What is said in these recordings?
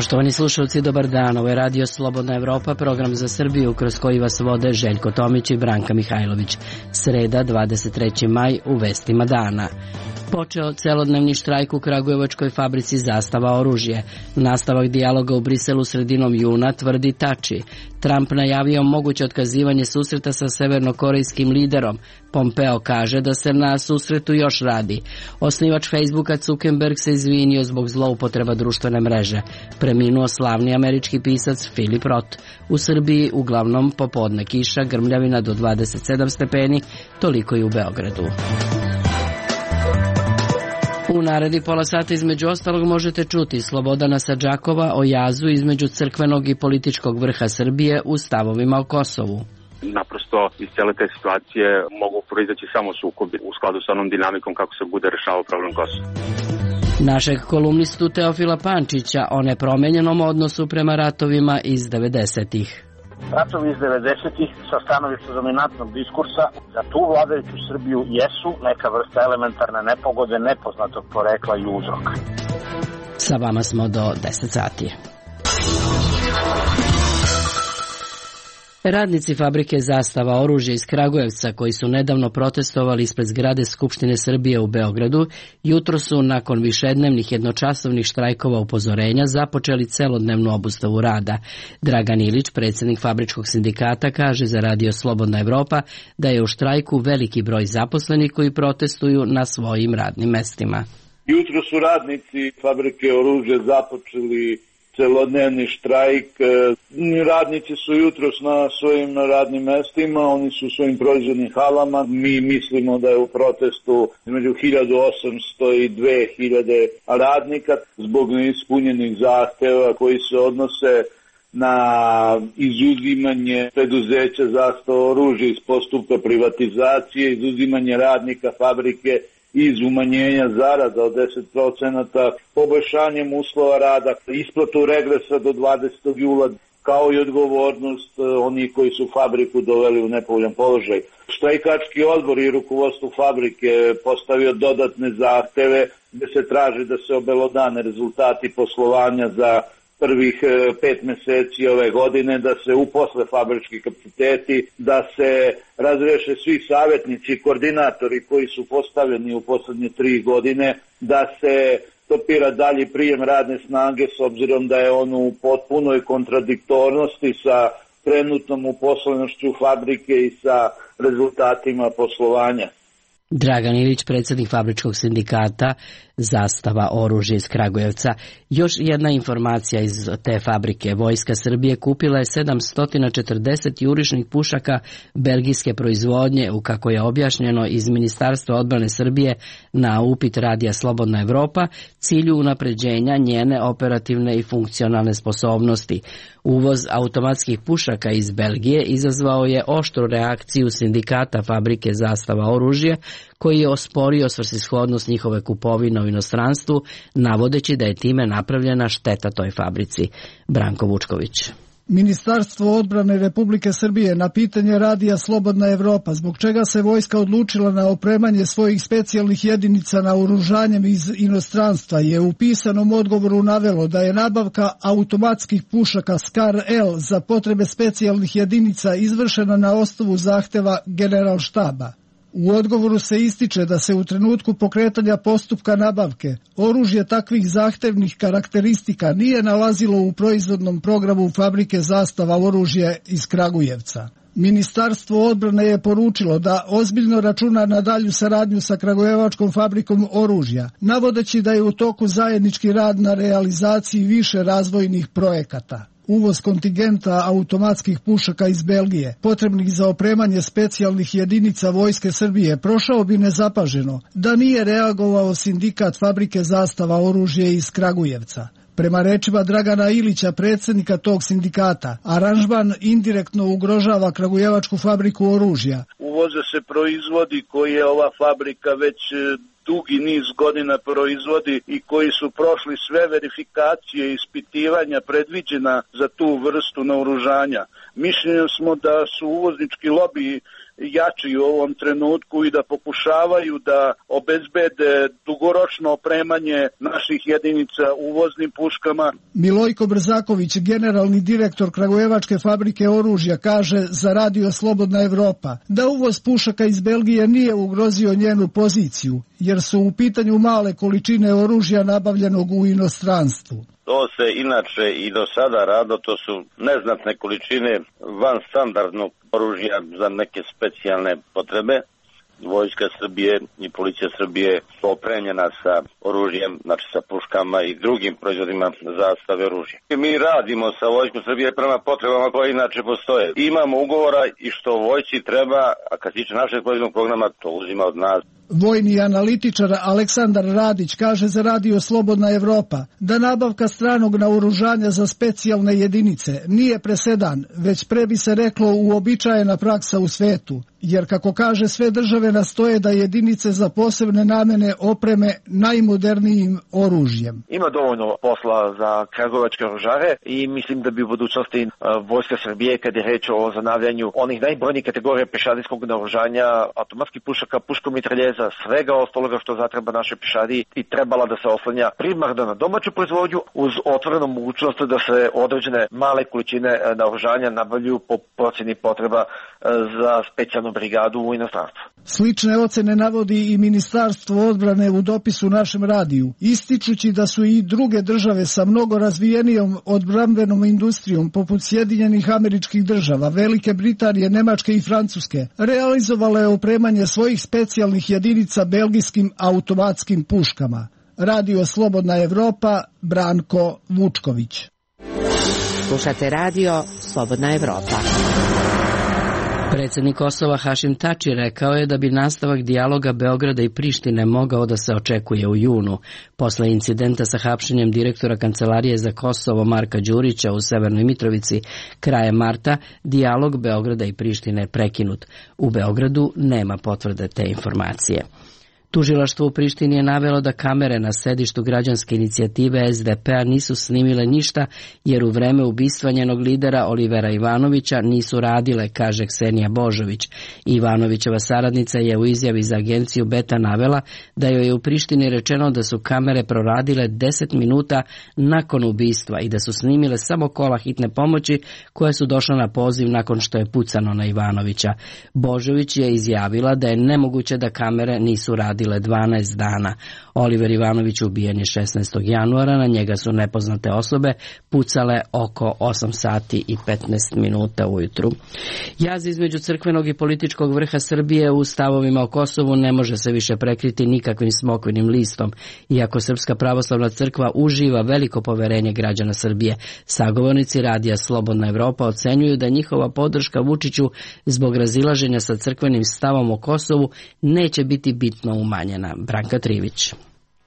Poštovani slušalci, dobar dan. Ovo je Radio Slobodna Evropa, program za Srbiju kroz koji vas vode Željko Tomić i Branka Mihajlović. Sreda, 23. maj, u vestima dana. Počeo celodnevni štrajk u kragujevačkoj fabrici Zastava oružje. Nastavak dijaloga u Briselu sredinom juna, tvrdi Tači. Trump najavio moguće otkazivanje susreta sa severnokorejskim liderom. Pompeo kaže da se na susretu još radi. Osnivač Facebooka Zuckerberg se izvinio zbog zloupotreba društvene mreže. Preminuo slavni američki pisac Philip Roth. U Srbiji uglavnom popodne kiša, grmljavina do 27 stepeni, toliko i u Beogradu. U naredi pola sata između ostalog možete čuti Slobodana Sadžakova o jazu između crkvenog i političkog vrha Srbije u stavovima o Kosovu. Naprosto iz cijele te situacije mogu proizaći samo sukobi u skladu sa onom dinamikom kako se bude rešavao problem Kosova. Našeg kolumnistu Teofila Pančića o nepromenjenom odnosu prema ratovima iz 90-ih. Ratovi iz 90-ih sa stanovišta dominantnog diskursa za tu vladajuću Srbiju jesu neka vrsta elementarne nepogode nepoznatog porekla i uzroka. Sa vama smo do 10 sati. Radnici fabrike Zastava oružja iz Kragujevca, koji su nedavno protestovali ispred zgrade Skupštine Srbije u Beogradu, jutro su nakon višednevnih jednočasovnih štrajkova upozorenja započeli celodnevnu obustavu rada. Dragan Ilić, predsjednik fabričkog sindikata, kaže za Radio Slobodna Evropa da je u štrajku veliki broj zaposlenih koji protestuju na svojim radnim mestima. Jutro su radnici fabrike oružja započeli celodnevni štrajk. Radnici su jutros na svojim radnim mestima, oni su u svojim proizvodnim halama. Mi mislimo da je u protestu između 1800 i 2000 radnika zbog neispunjenih zahteva koji se odnose na izuzimanje preduzeća Zastava oružja iz postupka privatizacije, izuzimanje radnika fabrike iz umanjenja zarada od 10%, poboljšanjem uslova rada, isplatu regresa do 20. jula, kao i odgovornost onih koji su fabriku doveli u nepovoljan položaj. Štrajkački odbor i rukovodstvo fabrike postavio dodatne zahteve gdje se traži da se obelodane rezultati poslovanja za prvih 5 mjeseci ove godine, da se uposle fabrički kapaciteti, da se razreše svi savjetnici i koordinatori koji su postavljeni u posljednje 3 godine, da se stopira dalji prijem radne snage s obzirom da je on u potpunoj kontradiktornosti sa trenutnom uposlenošću fabrike i sa rezultatima poslovanja. Dragan Ilić, predsjednik fabričkog sindikata Zastava oružja iz Kragujevca. Još jedna informacija iz te fabrike. Vojska Srbije kupila je 740 jurišnih pušaka belgijske proizvodnje, u kako je objašnjeno iz Ministarstva odbrane Srbije na upit Radija Slobodna Evropa, cilju unapređenja njene operativne i funkcionalne sposobnosti. Uvoz automatskih pušaka iz Belgije izazvao je oštru reakciju sindikata fabrike Zastava oružja, koji je osporio svrsishodnost njihove kupovine u inostranstvu, navodeći da je time napravljena šteta toj fabrici. Branko Vučković. Ministarstvo odbrane Republike Srbije na pitanje Radija Slobodna Evropa zbog čega se vojska odlučila na opremanje svojih specijalnih jedinica naoružanjem iz inostranstva je u pisanom odgovoru navelo da je nabavka automatskih pušaka Skar-L za potrebe specijalnih jedinica izvršena na osnovu zahteva Generalštaba. U odgovoru se ističe da se u trenutku pokretanja postupka nabavke oružje takvih zahtevnih karakteristika nije nalazilo u proizvodnom programu fabrike Zastava oružja iz Kragujevca. Ministarstvo odbrane je poručilo da ozbiljno računa na dalju saradnju sa Kragujevačkom fabrikom oružja, navodeći da je u toku zajednički rad na realizaciji više razvojnih projekata. Uvoz kontingenta automatskih pušaka iz Belgije, potrebnih za opremanje specijalnih jedinica Vojske Srbije, prošao bi nezapaženo da nije reagovao sindikat fabrike Zastava oružja iz Kragujevca. Prema rečima Dragana Ilića, predsjednika tog sindikata, aranžman indirektno ugrožava Kragujevačku fabriku oružja. Uvoze se proizvodi koje ova fabrika već dugi niz godina proizvodi i koji su prošli sve verifikacije i ispitivanja predviđena za tu vrstu naoružanja. Mišljenja smo da su uvoznički lobiji jači u ovom trenutku i da pokušavaju da obezbede dugoročno opremanje naših jedinica uvoznim puškama. Milojko Brzaković, generalni direktor Kragujevačke fabrike oružja, kaže za Radio Slobodna Evropa da uvoz pušaka iz Belgije nije ugrozio njenu poziciju, jer su u pitanju male količine oružja nabavljenog u inostranstvu. To se inače i do sada rado, to su neznatne količine van standardnog oružja za neke specijalne potrebe. Vojska Srbije i policija Srbije su opremljena sa oružjem, znači sa puškama i drugim proizvodima zastave oružja. Mi radimo sa Vojskom Srbije prema potrebama koje inače postoje. Imamo ugovora i što vojsci treba, a kad se tiče našeg proizvodnog programa, to uzima od nas. Vojni analitičar Aleksandar Radić kaže za Radio Slobodna Evropa da nabavka stranog naoružanja za specijalne jedinice nije presedan, već pre bi se reklo uobičajena praksa u svetu, jer kako kaže sve države nastoje da jedinice za posebne namene opreme najmodernijim oružjem. Ima dovoljno posla za kragujevačke oružare i mislim da bi u budućnosti Vojska Srbije, kad je reč o zanavljanju onih najbrojnijih kategorija pešadijskog naoružanja, automatskih pušaka, puškomitraljeza, svega ostaloga što zatreba naše pešadiji, i trebala da se oslanja primarno na domaću proizvodnju uz otvorenu mogućnost da se određene male količine naoružanja nabavljuju po procjeni potreba za specijalnu brigadu u inostranstvu. Slične ocene navodi i Ministarstvo odbrane u dopisu našem radiju, ističući da su i druge države sa mnogo razvijenijom odbrambenom industrijom poput Sjedinjenih Američkih Država, Velike Britanije, Nemačke i Francuske realizovale opremanje svojih specijalnih jedinica belgijskim automatskim puškama. Radio Slobodna Evropa, Branko Vučković. Slušate Radio Slobodna Evropa. Predsjednik Kosova Hašim Tači rekao je da bi nastavak dijaloga Beograda i Prištine mogao da se očekuje u junu. Posle incidenta sa hapšenjem direktora Kancelarije za Kosovo Marka Đurića u Severnoj Mitrovici krajem marta, dijalog Beograda i Prištine je prekinut. U Beogradu nema potvrde te informacije. Tužilaštvo u Prištini je navelo da kamere na sedištu građanske inicijative SDP-a nisu snimile ništa jer u vreme ubistva njenog lidera Olivera Ivanovića nisu radile, kaže Ksenija Božović. Ivanovićeva saradnica je u izjavi za agenciju Beta navela da joj je u Prištini rečeno da su kamere proradile 10 minuta nakon ubistva i da su snimile samo kola hitne pomoći koje su došle na poziv nakon što je pucano na Ivanovića. Božović je izjavila da je nemoguće da kamere nisu radile 12 dana. Oliver Ivanović ubijen je 16. januara, na njega su nepoznate osobe pucale oko 8 sati i 15 minuta ujutru. Jaz između crkvenog i političkog vrha Srbije u stavovima o Kosovu ne može se više prekriti nikakvim smokvinim listom, iako Srpska pravoslavna crkva uživa veliko poverenje građana Srbije. Sagovornici Radija Slobodna Evropa ocenjuju da njihova podrška Vučiću zbog razilaženja sa crkvenim stavom o Kosovu neće biti bitno umanjena. Branka Trivić.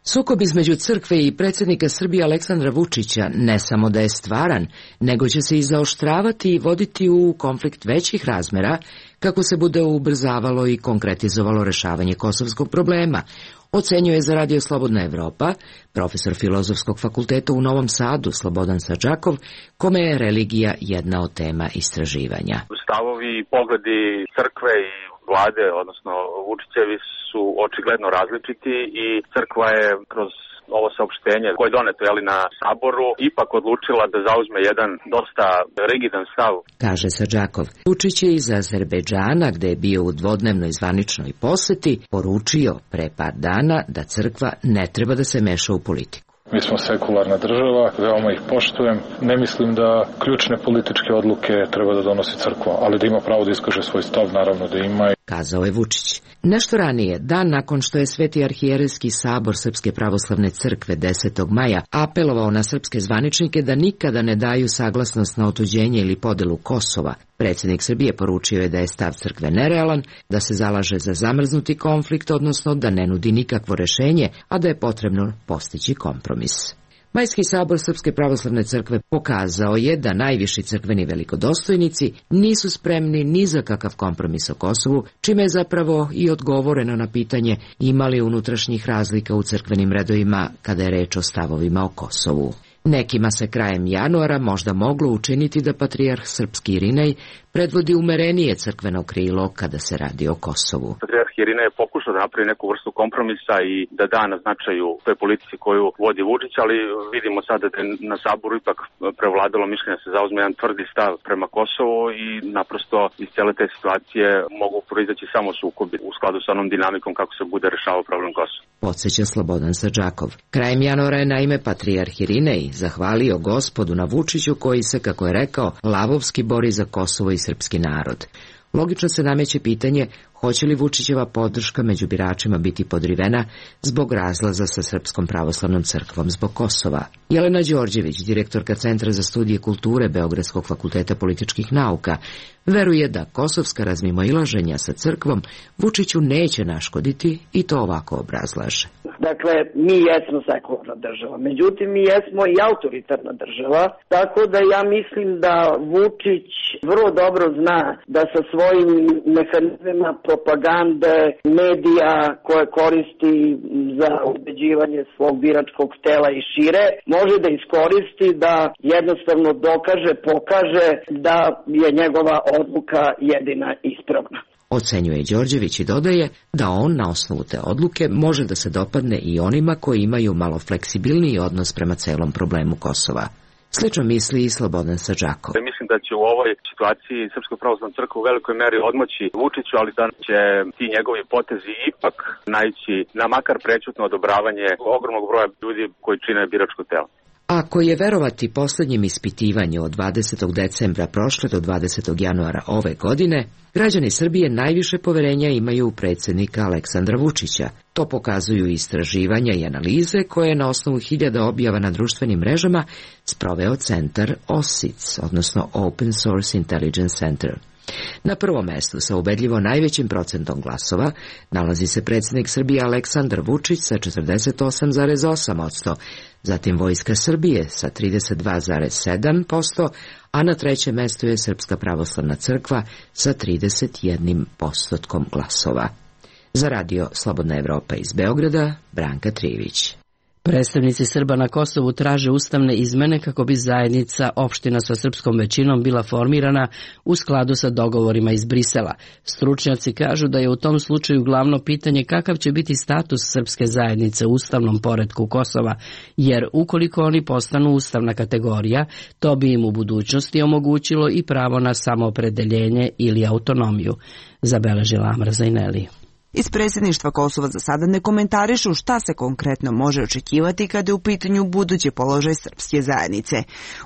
Sukob između crkve i predsjednika Srbije Aleksandra Vučića ne samo da je stvaran, nego će se i zaoštravati i voditi u konflikt većih razmera kako se bude ubrzavalo i konkretizovalo rešavanje kosovskog problema, ocenjuje za Radio Slobodna Evropa profesor Filozofskog fakulteta u Novom Sadu Slobodan Sadžakov, kome je religija jedna od tema istraživanja. Stavovi i pogledi crkve i vlade, odnosno Vučićevi, su očigledno različiti i crkva je kroz ovo saopštenje koje je doneto na saboru ipak odlučila da zauzme jedan dosta rigidan stav. Kaže Sadžakov. Vučić je iz Azerbejdžana, gde je bio u dvodnevnoj zvaničnoj poseti, poručio pre par dana da crkva ne treba da se meša u politiku. Mi smo sekularna država, veoma ih poštujem. Ne mislim da ključne političke odluke treba da donosi crkva, ali da ima pravo da iskaže svoj stav, naravno da ima. Kazao je Vučić. Nešto ranije, dan nakon što je Sveti arhijerejski sabor Srpske pravoslavne crkve 10. maja apelovao na srpske zvaničnike da nikada ne daju saglasnost na otuđenje ili podelu Kosova, predsjednik Srbije poručio je da je stav crkve nerealan, da se zalaže za zamrznuti konflikt, odnosno da ne nudi nikakvo rešenje, a da je potrebno postići kompromis. Majski sabor Srpske pravoslavne crkve pokazao je da najviši crkveni velikodostojnici nisu spremni ni za kakav kompromis o Kosovu, čime je zapravo i odgovoreno na pitanje ima li unutrašnjih razlika u crkvenim redovima kada je reč o stavovima o Kosovu. Nekima se krajem januara možda moglo učiniti da patrijarh srpski Irinej predvodi umerenije crkveno krilo kada se radi o Kosovu. Patrijarh Irina je pokušao da napravi neku vrstu kompromisa i da da na značaju toj politici koju vodi Vučić, ali vidimo sada da je na Saboru ipak prevladalo mišljenje da se zauzme jedan tvrdi stav prema Kosovu i naprosto iz cele te situacije mogu proizaći samo sukobi u skladu sa onom dinamikom kako se bude rešavao problem Kosova. Podsjeća Slobodan Sadžakov. Krajem januara je naime patrijarh Irinej zahvalio Gospodu na Vučiću koji se, kako je rekao, lavovski bori za Kosovo i srpski narod. Logično se nameće pitanje hoće li Vučićeva podrška među biračima biti podrivena zbog razlaza sa Srpskom pravoslavnom crkvom zbog Kosova. Jelena Đorđević, direktorka Centra za studije kulture Beogradskog fakulteta političkih nauka, veruje da kosovska razmimoilaženja sa crkvom Vučiću neće naškoditi i to ovako obrazlaže. Dakle, mi jesmo sekularna država, međutim mi jesmo i autoritarna država, tako da ja mislim da Vučić vrlo dobro zna da sa svojim mehanizmima propagande, medija koje koristi za ubeđivanje svog biračkog tela i šire, može da iskoristi da jednostavno dokaže, pokaže da je njegova odluka jedina ispravna. Ocenjuje Đorđević i dodaje da on na osnovu te odluke može da se dopadne i onima koji imaju malo fleksibilniji odnos prema celom problemu Kosova. Slično misli i Slobodan Sadžakov. Mislim da će u ovoj situaciji Srpska pravoslavna crkva u velikoj meri odmoći Vučiću, ali da će ti njegovi potezi ipak naići na makar prećutno odobravanje ogromnog broja ljudi koji čine biračko telo. Ako je verovati poslednjem ispitivanju od 20. decembra prošle do 20. januara ove godine, građani Srbije najviše poverenja imaju u predsjednika Aleksandra Vučića. To pokazuju istraživanja i analize koje je na osnovu 1000 objava na društvenim mrežama sproveo centar OSIC, odnosno Open Source Intelligence Center. Na prvom mestu sa ubedljivo najvećim procentom glasova nalazi se predsjednik Srbije Aleksandar Vučić sa 48,8%, zatim Vojska Srbije sa 32,7%, a na trećem mestu je Srpska pravoslavna crkva sa 31% glasova. Za radio Slobodna Evropa iz Beograda, Branka Trivić. Predstavnici Srba na Kosovu traže ustavne izmene kako bi zajednica opština sa srpskom većinom bila formirana u skladu sa dogovorima iz Brisela. Stručnjaci kažu da je u tom slučaju glavno pitanje kakav će biti status srpske zajednice u ustavnom poretku Kosova, jer ukoliko oni postanu ustavna kategorija, to bi im u budućnosti omogućilo i pravo na samoopredeljenje ili autonomiju, zabeležila Amra Zajneli. Iz predsjedništva Kosova za sada ne komentarišu šta se konkretno može očekivati kada je u pitanju budući položaj srpske zajednice.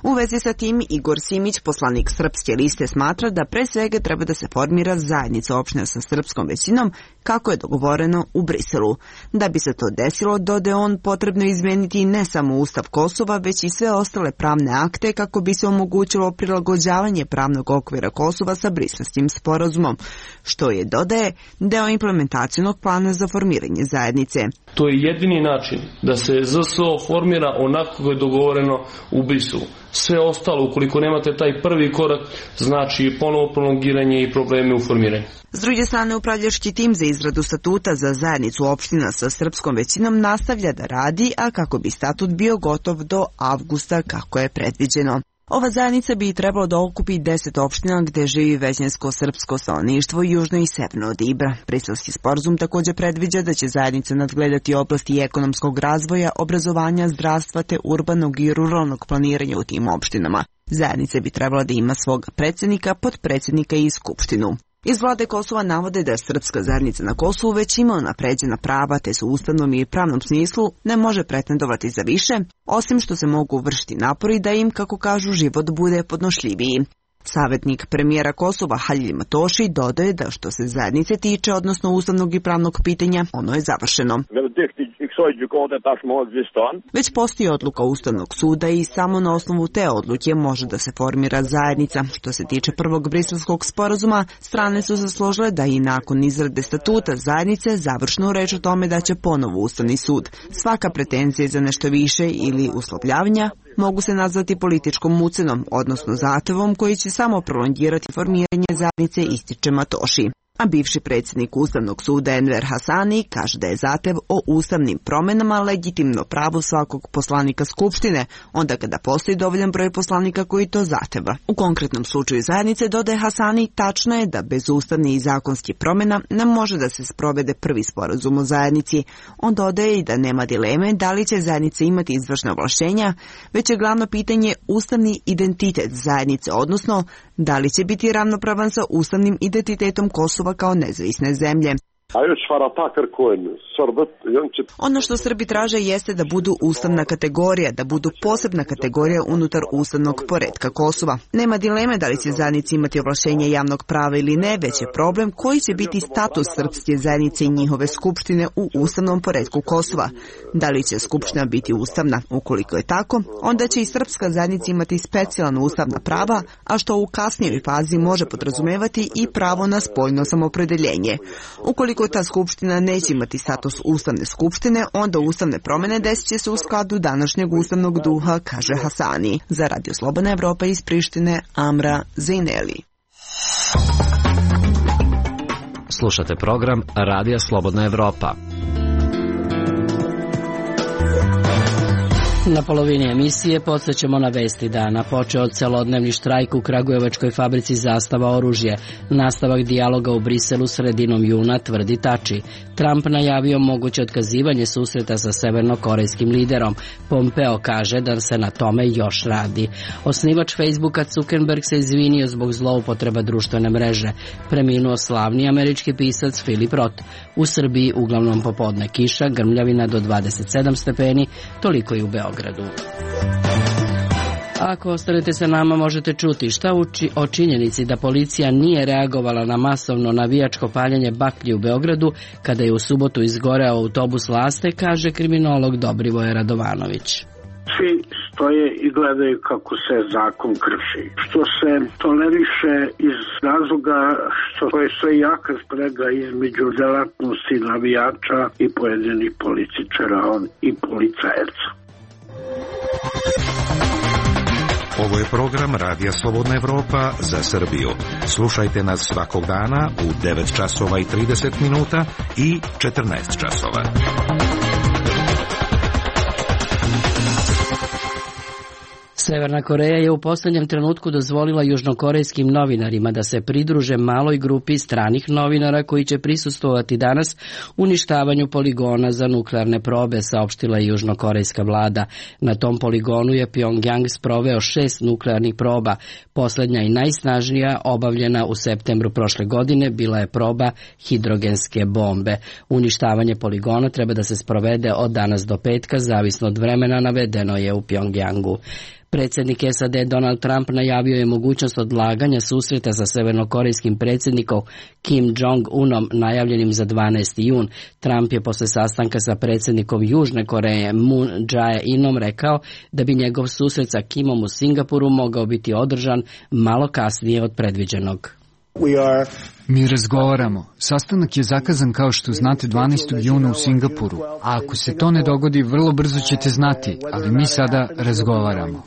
U vezi sa tim Igor Simić, poslanik Srpske liste, smatra da pre svega treba da se formira zajednica opština sa srpskom većinom kako je dogovoreno u Briselu. Da bi se to desilo, dodaje on, potrebno izmeniti ne samo Ustav Kosova, već i sve ostale pravne akte kako bi se omogućilo prilagođavanje pravnog okvira Kosova sa Briselskim sporazumom, što je, dodaje, deo implementacionog plana za formiranje zajednice. To je jedini način da se ZSO formira onako kako je dogovoreno u Briselu. Sve ostalo, ukoliko nemate taj prvi korak, znači ponovo prolongiranje i probleme u formiranju. S druge strane, upravljački tim za izradu statuta za zajednicu opština sa srpskom većinom nastavlja da radi, a kako bi statut bio gotov do avgusta kako je predviđeno. Ova zajednica bi trebalo da okupi 10 opština gde živi većinsko srpsko stanovništvo južno i severno od Ibra. Briselski sporazum također predviđa da će zajednica nadgledati oblasti ekonomskog razvoja, obrazovanja, zdravstva te urbanog i ruralnog planiranja u tim opštinama. Zajednica bi trebala da ima svog predsjednika, potpredsjednika i skupštinu. Iz vlade Kosova navode da srpska zajednica na Kosovu već ima unapređena prava, te su u ustavnom i pravnom smislu ne može pretendovati za više, osim što se mogu vršiti napori da im, kako kažu, život bude podnošljiviji. Savjetnik premijera Kosova Halil Matoši dodaje da što se zajednice tiče, odnosno ustavnog i pravnog pitanja, ono je završeno. Već postoji odluka Ustavnog suda i samo na osnovu te odluke može da se formira zajednica. Što se tiče prvog briselskog sporazuma, strane su se složile da i nakon izrade statuta zajednice završnu reč o tome da će ponovo Ustavni sud. Svaka pretenzija za nešto više ili uslovljavanja mogu se nazvati političkom ucenom, odnosno zahtevom koji će samo prolongirati formiranje zajednice, ističe Matoši. A bivši predsjednik Ustavnog suda Enver Hasani kaže da je zahtev o ustavnim promenama legitimno pravo svakog poslanika Skupštine, onda kada postoji dovoljan broj poslanika koji to zahteva. U konkretnom slučaju zajednice, dodaje Hasani, tačno je da bez ustavnih i zakonskih promjena ne može da se sprovede prvi sporazum o zajednici. On dodaje i da nema dileme da li će zajednica imati izvršna ovlašćenja, već je glavno pitanje ustavni identitet zajednice, odnosno da li će biti ravnopravan sa ustavnim identitetom Kosova kao nezavisne zemlje. Ono što Srbi traže jeste da budu ustavna kategorija, da budu posebna kategorija unutar ustavnog poretka Kosova. Nema dileme da li će zajednici imati ovlašćenje javnog prava ili ne, već je problem koji će biti status srpske zajednice i njihove skupštine u ustavnom poretku Kosova. Da li će skupština biti ustavna? Ukoliko je tako, onda će i srpska zajednica imati specijalna ustavna prava, a što u kasnijoj fazi može podrazumevati i pravo na spoljno samoopredjeljenje. Ukoliko ta skupština neće imati status ustavne skupštine, onda ustavne promjene desit će se u skladu današnjeg ustavnog duha, kaže Hasani. Za Radio Slobodna Evropa iz Prištine, Amra Zejneli. Slušate program Radija Slobodna Evropa. Na polovini emisije podsjećamo na vesti dana. Počeo celodnevni štrajk u kragujevačkoj fabrici Zastava oružje. Nastavak dijaloga u Briselu sredinom juna, tvrdi Tači. Trump najavio moguće otkazivanje susreta sa severnokorejskim liderom. Pompeo kaže da se na tome još radi. Osnivač Facebooka Zuckerberg se izvinio zbog zloupotreba društvene mreže. Preminuo slavni američki pisac Philip Roth. U Srbiji uglavnom popodne kiša, grmljavina do 27 stepeni, toliko i u Beogradu. Ako ostanete sa nama, možete čuti šta o činjenici da policija nije reagovala na masovno navijačko paljenje baklji u Beogradu kada je u subotu izgoreo autobus Laste, kaže kriminolog Dobrivoje Radovanović. Svi stoje i gledaju kako se zakon krši. Što se toleriše iz razloga što je sve jaka sprega između delatnosti navijača i pojedinih političara i policajaca. Ovo je program Radija Slobodna Evropa za Srbiju. Slušajte nas svakog dana u 9 časova i 30 minuta i 14 časova. Severna Koreja je u posljednjem trenutku dozvolila južnokorejskim novinarima da se pridruže maloj grupi stranih novinara koji će prisustvovati danas uništavanju poligona za nuklearne probe, saopštila je južnokorejska vlada. Na tom poligonu je Pyongyang sproveo 6 nuklearnih proba. Posljednja i najsnažnija, obavljena u septembru prošle godine, bila je proba hidrogenske bombe. Uništavanje poligona treba da se sprovede od danas do petka, zavisno od vremena, navedeno je u Pyongyangu. Predsjednik SAD Donald Trump najavio je mogućnost odlaganja susreta sa severnokorejskim predsjednikom Kim Jong-unom najavljenim za 12. jun. Trump je posle sastanka sa predsjednikom Južne Koreje Moon Jae-inom rekao da bi njegov susret sa Kimom u Singapuru mogao biti održan malo kasnije od predviđenog. Mi razgovaramo. Sastanak je zakazan, kao što znate, 12. juna u Singapuru. A ako se to ne dogodi, vrlo brzo ćete znati, ali mi sada razgovaramo.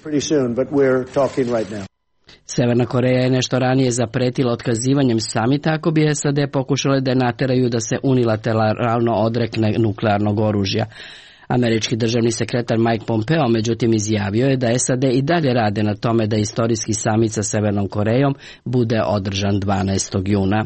Severna Koreja je nešto ranije zapretila otkazivanjem samita ako bi SAD pokušale da nateraju da se unilateralno odrekne nuklearnog oružja. Američki državni sekretar Mike Pompeo međutim izjavio je da SAD i dalje rade na tome da istorijski samit sa Severnom Korejom bude održan 12. juna.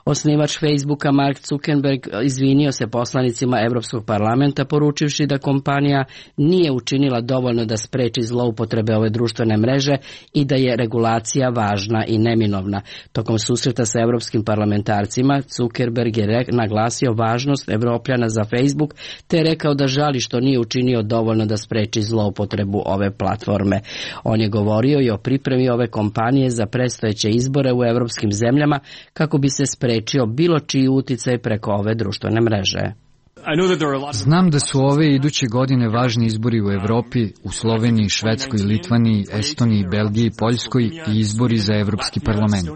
Osnivač Facebooka Mark Zuckerberg izvinio se poslanicima Evropskog parlamenta poručivši da kompanija nije učinila dovoljno da spreči zloupotrebe ove društvene mreže i da je regulacija važna i neminovna. Tokom susreta sa evropskim parlamentarcima Zuckerberg je naglasio važnost Evropljana za Facebook te rekao da žali što nije učinio dovoljno da spreči zloupotrebu ove platforme. On je govorio i o pripremi ove kompanije za predstojeće izbore u evropskim zemljama kako bi se sprečio bilo čiji uticaj preko ove društvene mreže. Znam da su ove iduće godine važni izbori u Evropi, u Sloveniji, Švedskoj, Litvaniji, Estoniji, Belgiji, Poljskoj i izbori za Evropski parlament.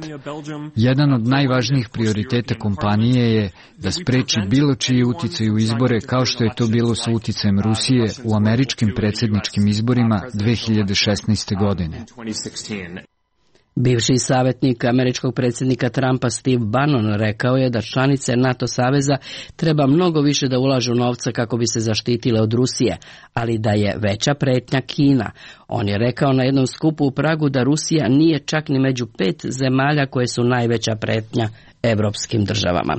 Jedan od najvažnijih prioriteta kompanije je da spreči bilo čiji uticaj u izbore, kao što je to bilo sa uticajem Rusije u američkim predsjedničkim izborima 2016. godine. Bivši savjetnik američkog predsjednika Trumpa Steve Bannon rekao je da članice NATO saveza treba mnogo više da ulažu novca kako bi se zaštitile od Rusije, ali da je veća pretnja Kina. On je rekao na jednom skupu u Pragu da Rusija nije čak ni među 5 zemalja koje su najveća pretnja evropskim državama.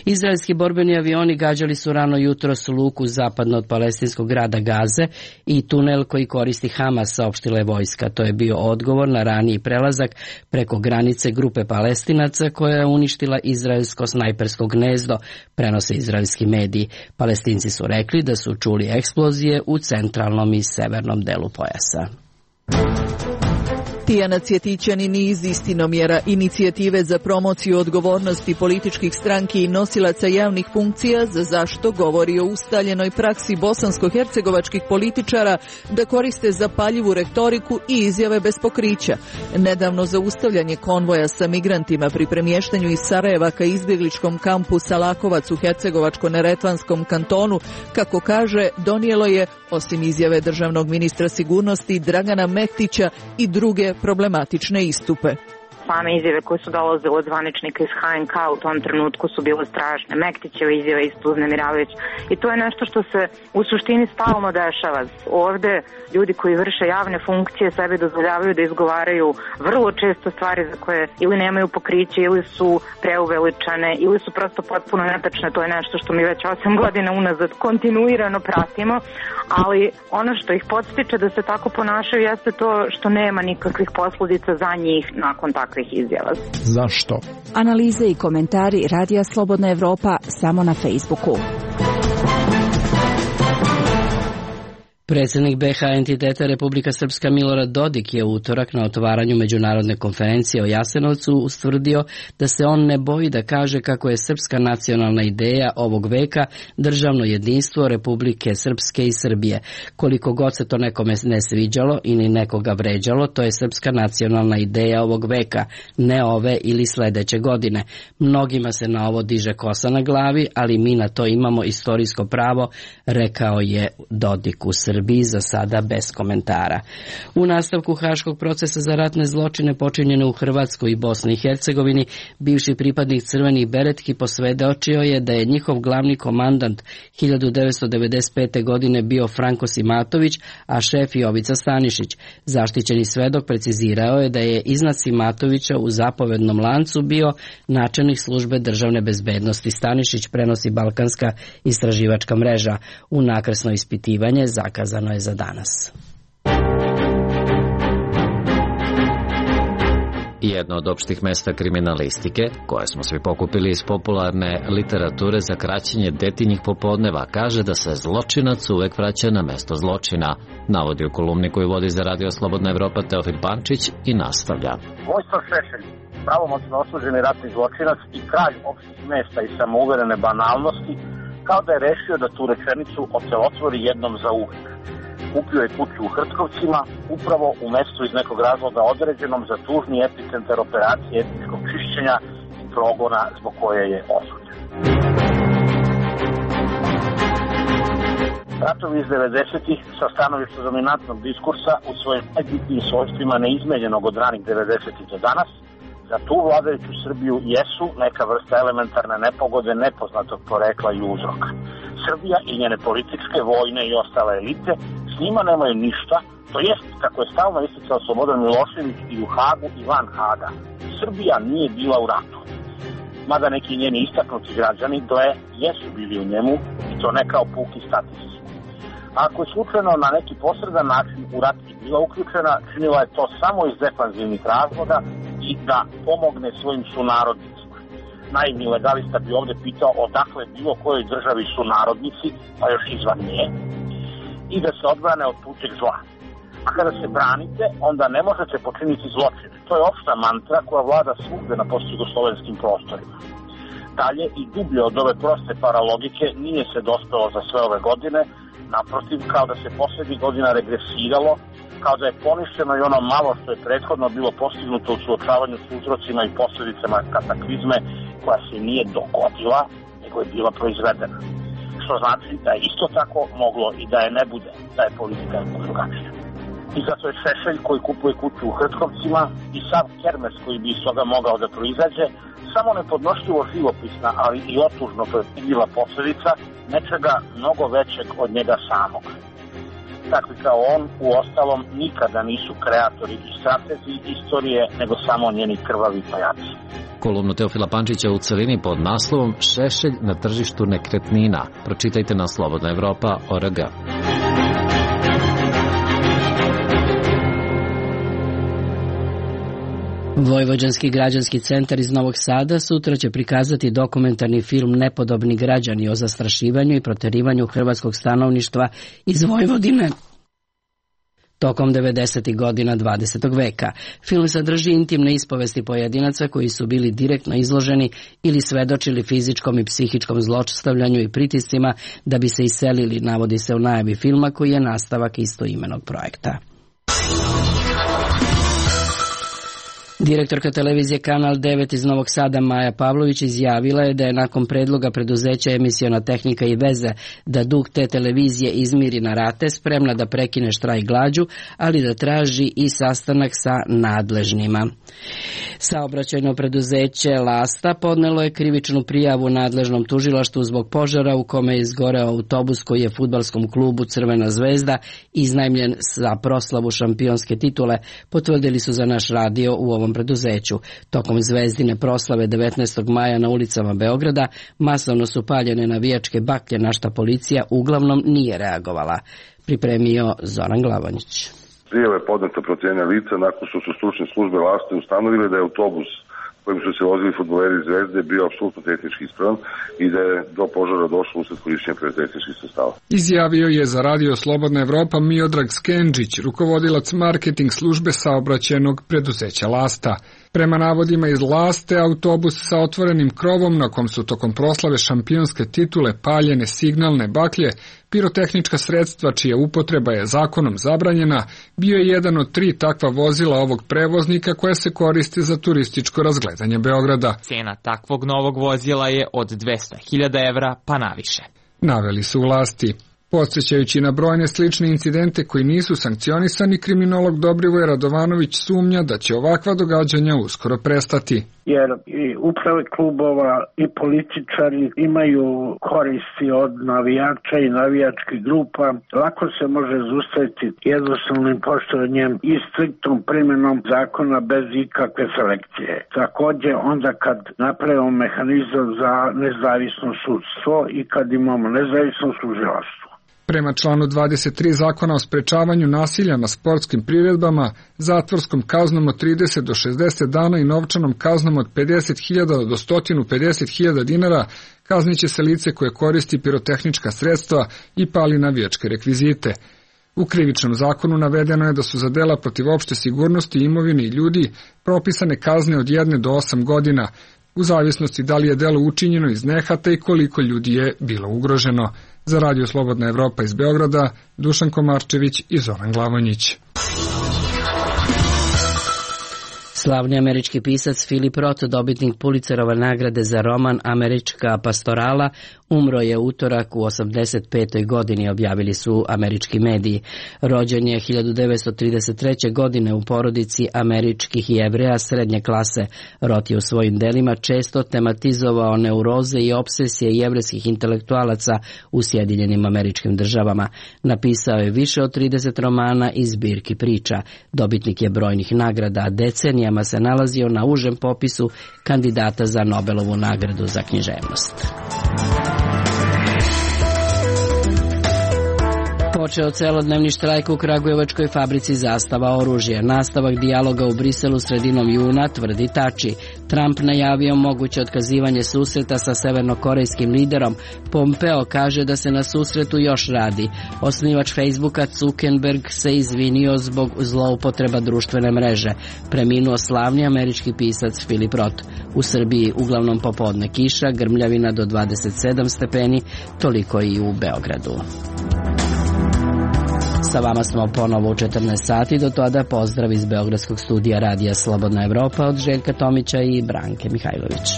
Izraelski borbeni avioni gađali su rano jutros luku zapadno od palestinskog grada Gaze i tunel koji koristi Hamas, saopštila je vojska. To je bio odgovor na raniji prelazak preko granice grupe Palestinaca koja je uništila izraelsko snajpersko gnezdo, prenose izraelski mediji. Palestinci su rekli da su čuli eksplozije u centralnom i severnom delu pojasa. Tijana Cvjetićanin iz Istinomjera, inicijative za promociju odgovornosti političkih stranki i nosilaca javnih funkcija, za zašto govori o ustaljenoj praksi bosansko-hercegovačkih političara da koriste zapaljivu retoriku i izjave bez pokrića. Nedavno zaustavljanje konvoja sa migrantima pri premještanju iz Sarajeva ka izbjegličkom kampu Salakovac u Hercegovačko-neretvanskom kantonu, kako kaže, donijelo je, osim izjave državnog ministra sigurnosti Dragana Mehtića, i druge problematične istupe. Same izjave koje su dolazile od zvaničnika iz HNK u tom trenutku su bile strašne. Mektićeva izjava isto uznemiravajuća. I to je nešto što se u suštini stalno dešava. Ovde ljudi koji vrše javne funkcije sebe dozvoljavaju da izgovaraju vrlo često stvari za koje ili nemaju pokriće, ili su preuveličane, ili su prosto potpuno netačne. To je nešto što mi već 8 godina unazad kontinuirano pratimo, ali ono što ih podstiče da se tako ponašaju jeste to što nema nikakvih posljedica za njih nakon takve izjava. Zašto? Analize i komentari Radija Slobodna Evropa samo na Facebooku. Predsjednik BiH entiteta Republika Srpska Milorad Dodik je u utorak na otvaranju međunarodne konferencije o Jasenovcu ustvrdio da se on ne boji da kaže kako je srpska nacionalna ideja ovog veka državno jedinstvo Republike Srpske i Srbije. Koliko god se to nekome ne sviđalo ili nekoga vređalo, to je srpska nacionalna ideja ovog veka, ne ove ili sledeće godine. Mnogima se na ovo diže kosa na glavi, ali mi na to imamo istorijsko pravo, rekao je Dodik u Srbiji, za sada bez komentara. U nastavku haškog procesa za ratne zločine počinjene u Hrvatskoj i Bosni i Hercegovini, bivši pripadnik crvenih beretki posvedočio je da je njihov glavni komandant 1995. godine bio Franko Simatović, a šef Jovica Stanišić. Zaštićeni svedok precizirao je da je iznad Simatovića u zapovednom lancu bio načelnik službe državne bezbednosti Stanišić, prenosi Balkanska istraživačka mreža. U nakrsno ispitivanje zakazano je za danas. Jedno od opštih mesta kriminalistike, koje smo svi pokupili iz popularne literature za kraćenje detinjih popodneva, kaže da se zločinac uvek vraća na mesto zločina, navodi u kolumni koju vodi za Radio Slobodna Evropa Teofil Pančić i nastavlja. Vojislav Šešelj, pravomoćno osuđeni ratni zločinac i kralj opštih mesta i samouverene banalnosti, kao da je rešio da tu rečenicu ocelotvori jednom za uvek. Kupio je kuću u Hrtkovcima, upravo u mestu iz nekog razloga određenom za tužni epicentar operacije etničkog čišćenja i progona zbog koje je osuđen. Ratovi iz 90-ih sa stanovišta dominantnog diskursa u svojim najbitnijim svojstvima neizmenjenog od ranih 90-ih do danas, za tu vladajuću Srbiju jesu neka vrsta elementarne nepogode nepoznatog porekla i uzroka. Srbija i njene političke, vojne i ostale elite s njima nemaju ništa, to jest, kako je stalno isticao Slobodan Milošević i u Hagu i van Haga. Srbija nije bila u ratu. Mada neki njeni istaknuti građani jesu bili u njemu, i to ne kao puki statisti. Ako je slučajno na neki posredan način u rat i bila uključena, činila je to samo iz defanzivnih razloga i da pomogne svojim sunarodnicima. Naivni legalista bi ovde pitao odakle bilo kojoj državi sunarodnici, pa još izvan nje, i da se odbrane od tuđeg zla. A kada se branite, onda ne možete počiniti zločine. To je opšta mantra koja vlada svugde na postjugoslovenskim prostorima. Dalje, i dublje od ove proste paralogike, nije se dospelo za sve ove godine, naprotiv, kao da se poslednjih godina regresiralo, kao da je poništeno i ono malo što je prethodno bilo postignuto u suočavanju s uzrocima i posljedicama kataklizme koja se nije dogodila, nego je bila proizvedena. Što znači da je isto tako moglo i da je ne bude, da je politika drugačija. I zato je Šešelj koji kupuje kuću u Hrtkovcima i sav kermes koji bi iz toga mogao da proizađe samo nepodnošljivo živopisna, ali i otužno predvidljiva posledica nečega mnogo većeg od njega samog. Takvi kao on, u ostalom, nikada nisu kreatori i stratezi istorije, nego samo njeni krvavi pajaci. Kolumnu Teofila Pančića u celini pod naslovom Šešelj na tržištu nekretnina. Pročitajte na slobodnaevropa.org. Vojvođanski građanski centar iz Novog Sada sutra će prikazati dokumentarni film Nepodobni građani o zastrašivanju i proterivanju hrvatskog stanovništva iz Vojvodine tokom 90. godina 20. veka. Film sadrži intimne ispovesti pojedinaca koji su bili direktno izloženi ili svedočili fizičkom i psihičkom zlostavljanju i pritiscima da bi se iselili, navodi se u najavi filma koji je nastavak istoimenog projekta. Direktorka televizije Kanal 9 iz Novog Sada Maja Pavlović izjavila je da je nakon predloga preduzeća Emisiona tehnika i veze da dug te televizije izmiri na rate spremna da prekine štrajk glađu, ali da traži i sastanak sa nadležnima. Saobraćajno preduzeće Lasta podnelo je krivičnu prijavu nadležnom tužilaštvu zbog požara u kome je izgoreo autobus koji je fudbalskom klubu Crvena zvezda iznajmljen za proslavu šampionske titule, potvrdili su za naš radio u ovom preduzeću. Tokom zvezdine proslave 19. maja na ulicama Beograda masovno su paljene navijačke baklje, na šta policija uglavnom nije reagovala. Pripremio Zoran Glavonjić. Prijava je podneta protiv jedne lica nakon što su stručne službe Laste ustanovile da je autobus kojim su se vozili fudbaleri Zvezde bio apsolutno tehnički ispravan i da je do požara došlo usled korišćenja pirotehničkih sredstava. Izjavio je za Radio Slobodna Evropa Miodrag Skenđić, rukovodilac marketing službe saobraćajnog preduzeća Lasta. Prema navodima iz Laste, autobus sa otvorenim krovom na kom su tokom proslave šampionske titule paljene signalne baklje, pirotehnička sredstva čija upotreba je zakonom zabranjena, bio je jedan od 3 takva vozila ovog prevoznika koja se koriste za turističko razgledanje Beograda. Cena takvog novog vozila je od 200.000 evra pa naviše. Naveli su vlasti. Podsjećajući na brojne slične incidente koji nisu sankcionisani, kriminolog Dobrivoje Radovanović sumnja da će ovakva događanja uskoro prestati. Jer i uprave klubova i političari imaju koristi od navijača i navijačkih grupa. Lako se može zaustaviti jednostavnim poštovanjem i striktnom primjenom zakona bez ikakve selekcije. Također onda kad napravimo mehanizam za nezavisno sudstvo i kad imamo nezavisno tužilaštvo. Prema članu 23 zakona o sprečavanju nasilja na sportskim priredbama, zatvorskom kaznom od 30 do 60 dana i novčanom kaznom od 50.000 do 150.000 dinara kazniće se lice koje koristi pirotehnička sredstva i pali navijačke rekvizite. U krivičnom zakonu navedeno je da su za dela protiv opšte sigurnosti imovine i ljudi propisane kazne od 1 do 8 godina, u zavisnosti da li je delo učinjeno iz nehata i koliko ljudi je bilo ugroženo. Za Radio Slobodna Evropa iz Beograda, Dušan Komarčević i Zoran Glavonjić. Slavni američki pisac Philip Roth, dobitnik Pulitzerove nagrade za roman Američka pastorala, umro je utorak u 85. godini, objavili su američki mediji. Rođen je 1933. godine u porodici američkih Jevreja srednje klase. Roth je u svojim delima često tematizovao neuroze i obsesije jevrejskih intelektualaca u Sjedinjenim Američkim Državama. Napisao je više od 30 romana i zbirki priča. Dobitnik je brojnih nagrada, a decenijama se nalazio na užem popisu kandidata za Nobelovu nagradu za književnost. Počeo celodnevni štrajk u kragujevačkoj fabrici Zastava oružje. Nastavak dijaloga u Briselu sredinom juna, tvrdi Tači. Trump najavio moguće otkazivanje susreta sa severnokorejskim liderom. Pompeo kaže da se na susretu još radi. Osnivač Facebooka Zuckerberg se izvinio zbog zloupotreba društvene mreže. Preminuo slavni američki pisac Philip Roth. U Srbiji uglavnom popodne kiša, grmljavina do 27 stepeni, toliko i u Beogradu. Sa vama smo ponovo u 14 sati, do tada pozdrav iz Beogradskog studija Radija Slobodna Evropa od Željka Tomića i Branke Mihajlović.